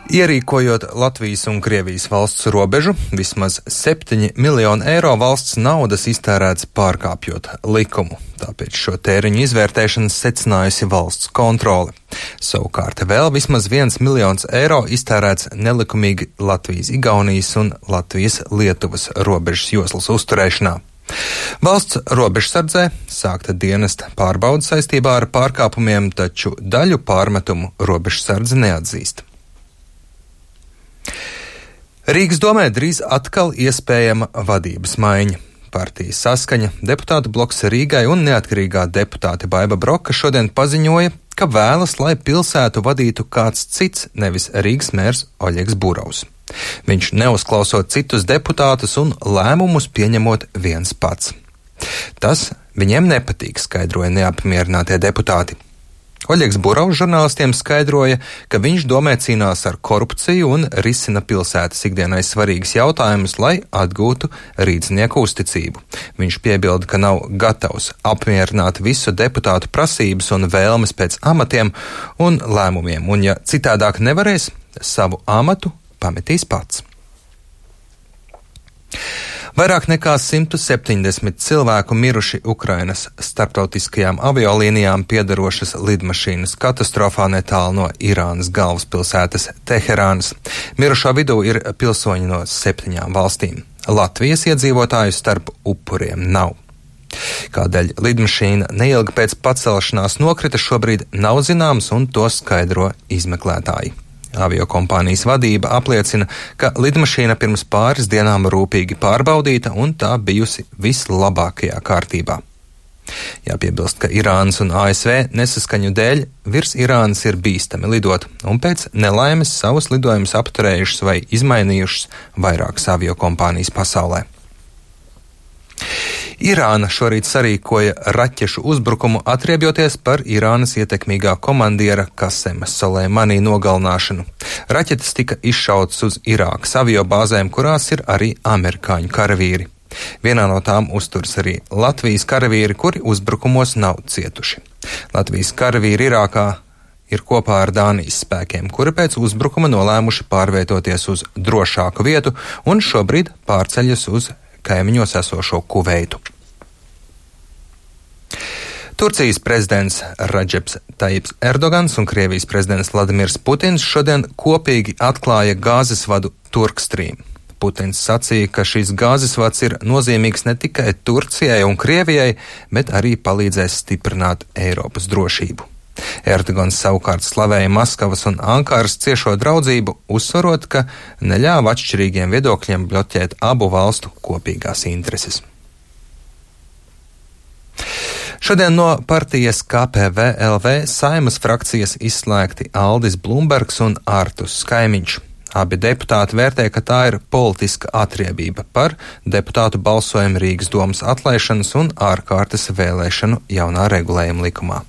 Ierīkojot Latvijas un Krievijas valsts robežu, vismaz 7 miljoni eiro valsts naudas iztērēts pārkāpjot likumu. Tāpēc šo tēriņu izvērtēšanas secinājusi valsts kontrole. Savukārt vēl vismaz 1 miljons eiro iztērēts nelikumīgi Latvijas-Igaunijas un Latvijas-Lietuvas robežas joslas uzturēšanā. Valsts robežsardzē sākta dienesta pārbauda saistībā ar pārkāpumiem, taču daļu pārmetumu robežsardze neatzīst. Rīgas domē drīz atkal iespējama vadības maiņa. Partijas Saskaņa, deputātu bloks Rīgai un neatkarīgā deputāte Baiba Broka šodien paziņoja, ka vēlas, lai pilsētu vadītu kāds cits, nevis Rīgas mērs Oļegs Burovs. Viņš neuzklausot citus deputātus un lēmumus pieņemot viens pats. Tas viņiem nepatīk, skaidroja neapmierinātie deputāti. Oļegs Burovs žurnālistiem skaidroja, ka viņš domē cīnās ar korupciju un risina pilsētas ikdienai svarīgas jautājumus, lai atgūtu rīdznieku uzticību. Viņš piebilda, ka nav gatavs apmierināt visu deputātu prasības un vēlmes pēc amatiem un lēmumiem, un ja citādāk nevarēs, savu amatu pametīs pats. Vairāk nekā 170 cilvēku miruši Ukrainas starptautiskajām aviolīnijām piederošas lidmašīnas katastrofā netālu no Irānas galvaspilsētas Teherānas. Mirušo vidū ir pilsoņi no 7 valstīm. Latvijas iedzīvotāju starp upuriem nav. Kādēļ lidmašīna neilgi pēc pacelšanās nokrita, šobrīd nav zināms, un to skaidro izmeklētāji. Aviokompānijas vadība apliecina, ka lidmašīna pirms pāris dienām rūpīgi pārbaudīta un tā bijusi vislabākajā kārtībā. Jāpiebilst, ka Irānas un ASV nesaskaņu dēļ virs Irānas ir bīstami lidot, un pēc nelaimes savus lidojumus apturējušas vai izmainījušas vairākas aviokompānijas pasaulē. Irāna šorīt sarīkoja raķešu uzbrukumu, atriebjoties par Irānas ietekmīgā komandiera Kasema Soleimani nogalināšanu. Raķetes tika izšautas uz Irākas aviobāzēm, kurās ir arī amerikāņu karavīri. Vienā no tām uzturas arī Latvijas karavīri, kuri uzbrukumos nav cietuši. Latvijas karavīri Irākā ir kopā ar Dānijas spēkiem, kuri pēc uzbrukuma nolēmuši pārvietoties uz drošāku vietu un šobrīd pārceļas uz kaimiņos esošo Kuveitu. Turcijas prezidents Radžeps Tajips Erdogans un Krievijas prezidents Vladimirs Putins šodien kopīgi atklāja gāzes vadu Turkstrīm. Putins sacīja, ka šīs gāzes vads ir nozīmīgs ne tikai Turcijai un Krievijai, bet arī palīdzēs stiprināt Eiropas drošību. Erdogans savukārt slavēja Maskavas un Ankaras ciešo draudzību, uzsvarot, ka neļāva atšķirīgiem viedokļiem bloķēt abu valstu kopīgās intereses. Šodien no partijas KPVLV Saeimas frakcijas izslēgti Aldis Blumbergs un Artus Skaimiņš. Abi deputāti vērtē, ka tā ir politiska atriebība par deputātu balsojumu Rīgas domas atlaišanas un ārkārtas vēlēšanu jaunā regulējuma likumā.